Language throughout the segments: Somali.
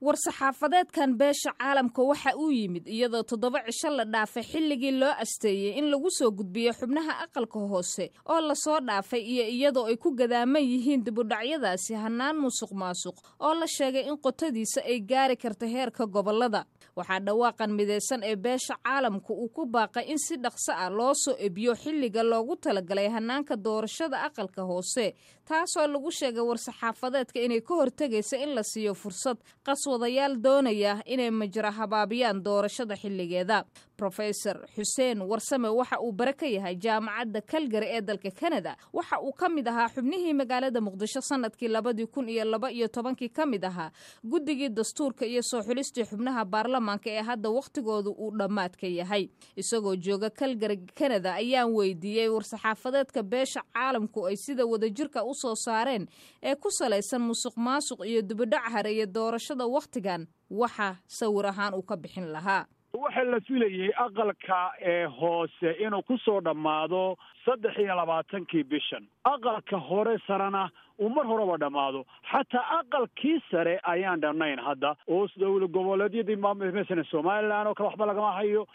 War-saxaafadeedkan beesha caalamka waxa uu yimid iyadoo 7 cisho la dhaafay xilligii loo asteeyey in lagu soo gudbiyo xubnaha aqalka hoose oo lasoo dhaafay, iyo iyadoo ay ku gadaaman yihiin dibudhacyadaasi hanaan musuq maasuq oo la sheegay in qotadiisa ay gaari karta heerka gobolada. Waxaa dhawaaqan midaysan ee beesha caalamka uu ku baaqay in si dhaqso ah loo soo ebiyo xilliga loogu talagalay hanaanka doorashada aqalka hoose, taasoo lagu sheegay war-saxaafadeedka inay ka hortegaysa in la siiyo fursad qaswadayaal doonaya inay majra habaabiyaan doorashada xilligeeda. Professor Xuseen Warsame waxa uu bare ka yahay Jaamacadda Calgary ee dalka Canada. Waxa uu ka mid ahaa xubnihii magaalada Muqdisho sanadkii 2012-kii ka mid ahaa guddigii dastuurka iyo soo xulistii xubnaha baarlamaanka ee hadda wakhtigoodu uu dhammaadka yahay. Isagoo jooga Calgary, Canada, ayaan weydiiyey war-saxaafadeedka beesha caalamku ay sida wadajirka u soo saareen ee ku salaysan musuq maasuq iyo dibudhac hareeye doorashada wakhtigan waxa sawir ahaan uu ka bixin lahaa. Waxaa la filayey aqalka ee hoose inuu ku soo dhammaado 23-kii bishan, aqalka hore sarena uu mar horeba dhammaado. Xataa aqalkii sare ayaan dhamnayn hadda, oo dowla goboleedyadii, masalan Somaliland oo kale, waxba lagama hayo,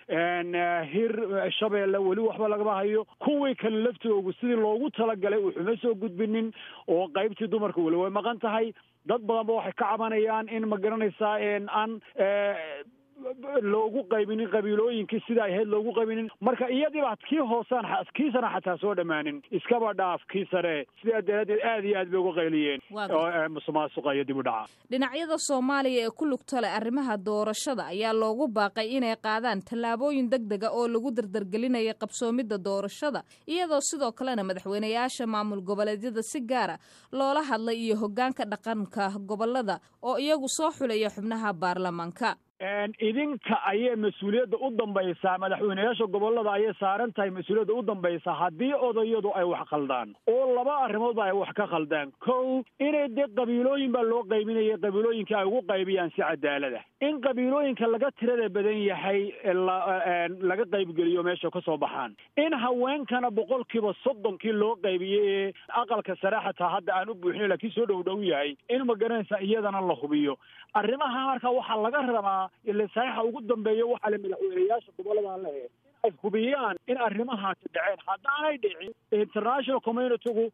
Hir Shabeelle weli waxba lagama hayo, kuwii kale laftoogu sidii loogu talagalay wuxuma soo gudbinin, oo qaybtii dumarka weli way maqan tahay. Dad badan ba waxay ka cabanayaan in, ma garanaysaa, aan loogu qaybinin qabiilooyinkii sida ay ahayd loogu qaybinin. Marka iyadiiba kii hoosaan kii sana xataa soo dhammaanin, iskaba dhaaf kii sare. Sidaa daraaddeed aad iyo aad bay uga qayliyeen musuqmaasuqa iyo dib u dhaca. Dhinacyada Soomaaliya ee ku lugta leh arrimaha doorashada ayaa loogu baaqay inay qaadaan tallaabooyin deg dega oo lagu dardargelinaya qabsoomidda doorashada, iyadoo sidoo kalena madaxweynayaasha maamul goboleedyada si gaara loola hadlay iyo hoggaanka dhaqanka gobolada oo iyagu soo xulaya xubnaha baarlamaanka. Idinka ayay mas-uuliyadda u dambaysaa, madaxweynayaasha gobolada ayay saaran tahay mas-uuliyadda u dambaysaa haddii odayadu ay wax khaldaan, oo laba arrimoodba ay wax ka khaldaan. Kow, inay dee qabiilooyin baa loo qaybinayay, qabiilooyinka ay ugu qaybiyaan si cadaalada, in qabiilooyinka laga tirada badan yahay laga qaybgeliyo meesha ka soo baxaan, in haweenkana 30%-kii loo qaybiyey ee aqalka sare xataa hadda aan u buuxin laakiin soo dhow dhow yahay, in, ma garanaysaa, iyadana la hubiyo arrimaha. Marka waxaa laga rabaa, ila saxiixa ugu dambeeya waxaa le madaxweynayaasha gobolada lehe, in ay hubiyaan in arrimahaasi dhaceen. Haddaanay dhicin, international communitygu,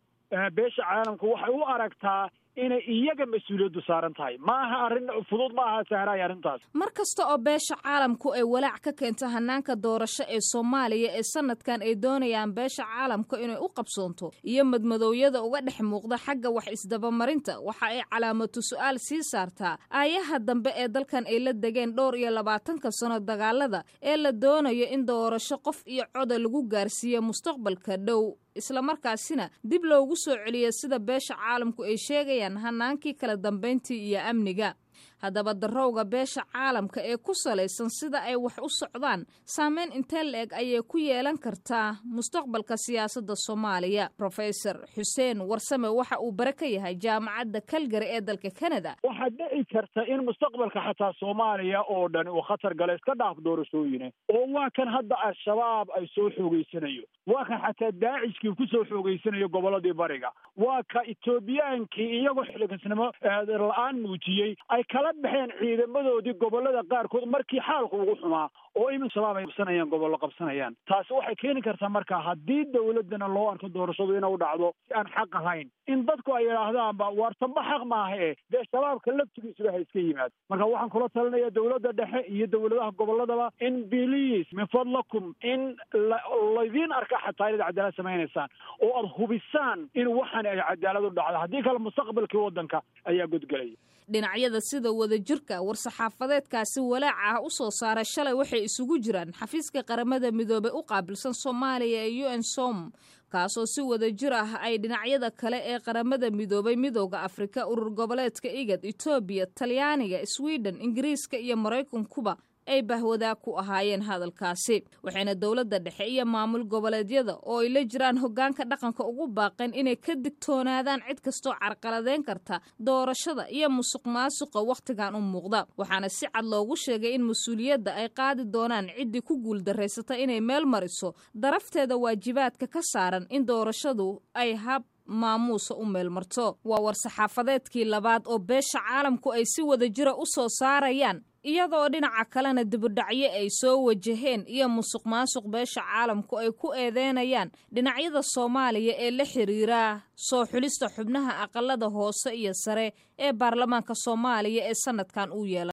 beesha caalamku, waxay u aragtaa inay iyaga mas-uuliyaddu saaran tahay. Maaha arrin fudud, ma aha sahraay arrintaas. Mar kasta oo beesha caalamku ay walaac ka keento hanaanka doorasho ee Soomaaliya ee sanadkan ay doonayaan beesha caalamka inay u qabsoonto iyo madmadoowyada uga dhex muuqda xagga wax isdabamarinta, waxa ay calaamatu su-aal sii saartaa aayaha dambe ee dalkan ay la degeen dhowr iyo labaatanka sano dagaalada ee la doonayo in doorasho qof iyo coda lagu gaarsiiyo mustaqbalka dhow, islamarkaasina dib loogu soo celiyo, sida beesha caalamku ay sheegayaan, hanaankii kala dambayntii iyo amniga. Haddaba darowga beesha caalamka ee ku salaysan sida ay wax u socdaan saameyn intee la-eg ayay ku yeelan kartaa mustaqbalka siyaasadda Soomaaliya? Professor Xuseen Warsame waxa uu bare ka yahay Jaamacadda Calgary ee dalka Canada. Waxaa dhici karta in mustaqbalka xataa Soomaaliya oo dhan uu khatar gala, iska dhaaf doorashooyine, oo waa kan hadda Al-Shabaab ay soo xoogeysanayo, waa kan xataa Daacishkii ku soo xoogeysanayo gobolladii bariga, waa ka Etoobiyaankii iyagoo xilligasnimo la-aan muujiyey ay kala baxeen ciidamadoodii gobollada qaarkood markii xaalku ugu xumaa, oo imin Shabaab ay qabsanayaan, gobollo qabsanayaan. Taasi waxay keeni kartaa marka haddii dowladdana loo arko doorashadu inay u dhacdo si aan xaq ahayn, in dadku ay yidhaahdaanba waar tamba xaq maaha e dee Shabaabka laftigiisuba ha iska yimaado. Marka waxaan kula talinayaa dowladda dhexe iyo dowladaha gobolladaba in biliis min fadlakum in laydiin arka xataa inaad cadaalad samaynaysaan oo aad hubisaan in waxaan ay cadaalad u dhacdo. Haddii kale mustaqbalkii waddanka ayaa godgelaya. Dhinacyada sida wadajirka war-saxaafadeedkaasi walaaca ah u soo saaray shalay waxay isugu jiraan xafiiska Qaramada Midoobey u qaabilsan Soomaaliya ee UNSOM, kaasoo si wadajir ah ay dhinacyada kale ee Qaramada Midoobay, Midooda Afrika, urur goboleedka IGAD, Etoobiya, Talyaaniga, Sweden, Ingiriiska iyo Maraykankuba ay bahwadaag ku ahaayeen hadalkaasi. Waxayna dowladda dhexe iyo maamul goboleedyada oo ay la jiraan hoggaanka dhaqanka ugu baaqeen inay ka digtoonaadaan cid kastoo carqaladeyn karta doorashada iyo musuq maasuqa wakhtigan u muuqda. Waxaana si cad loogu sheegay in mas-uuliyadda ay qaadi doonaan ciddii ku guuldaraysata inay meel mariso darafteeda waajibaadka ka saaran in doorashadu ay hab maamuusa u meelmarto. Waa war-saxaafadeedkii labaad oo beesha caalamku ay si wada jira u soo saarayaan, iyadoo dhinaca kalena dibudhacyo ay soo wajaheen iyo musuq maasuq beesha caalamku ay ku eedeynayaan dhinacyada Soomaaliya ee la xiriira soo xulista xubnaha aqalada hoose iyo sare ee baarlamaanka Soomaaliya ee sanadkan uu yeelay.